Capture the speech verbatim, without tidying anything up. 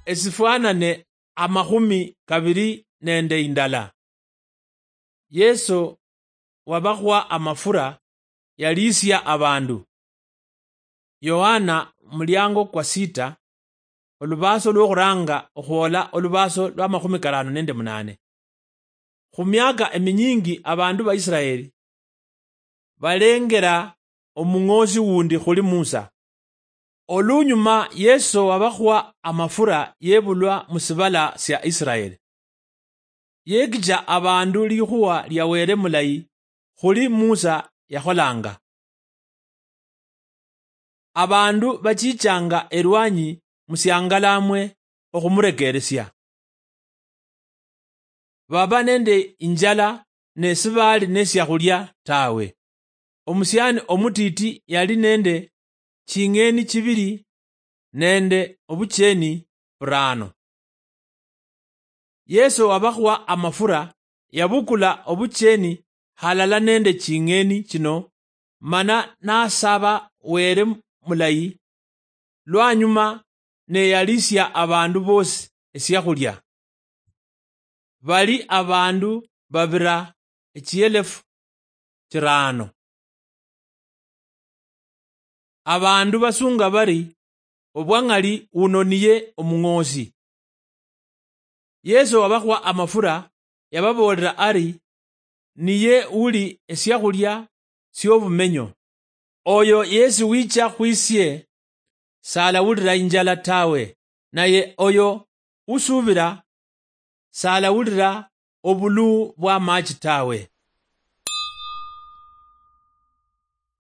esifwanane amakhumi kabiri nende indala. Yesu wabakhwa amafura yaliisia abandu. Yohana, muliango kwa sita, olubaaso lwokhuranga okhwola olubaaso lwa makhumi karano nende munane. Khu miaka eminyingi abandu ba Israeli balengera omung'oosi wundi khuli Musa. Olunyuma Yesu wabakhwa amafura yebulwa mu sibala sia Israeli. Yekicha abandu likhuwa lia Wele mulayi khuli Musa yakholanga. Abandu bachichanga erwanyi musiangalamwe okhumurekeresia. Baba nende injala ne sibaali nesiakhulia tawe. Omusiani omutiti yali nende ching'eni chibili nende obucheni burano. Yesu wabakhwa amafura, yabukula obucheni halala nende ching'eni chino, mana nasaba Wele mulayi, lwanyuma neyalisia abandu bosi esiakhulia. Bali abandu babira echielefu chirano. Abandu basunga bari, "Obwang'ali uno niye omung'oosi." Yesu wabakhwa amafura, yababoolera ari, "Niye uli esiakhulia siobumenyo. Oyo yesi wicha khwisie salawulira injala tawe, naye oyo usuubira salawulira obuluu bw'amaachi tawe."